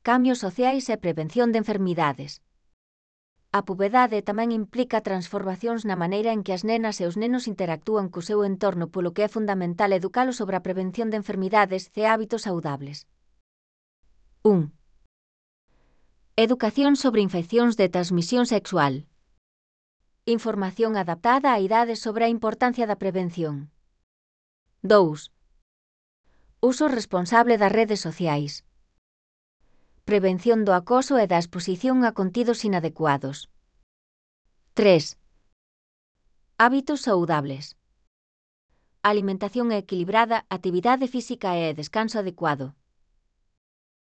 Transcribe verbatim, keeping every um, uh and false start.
cambios sociais e prevención de enfermidades. A puberdade tamén implica transformacións na maneira en que as nenas e os nenos interactúan co seu entorno, polo que é fundamental educalos sobre a prevención de enfermidades e hábitos saudables. un. Educación sobre infeccións de transmisión sexual. Información adaptada á idade sobre a importancia da prevención. dous. Uso responsable das redes sociais. Prevención do acoso e da exposición a contidos inadecuados. tres. Hábitos saudables. Alimentación equilibrada, actividade física e descanso adecuado.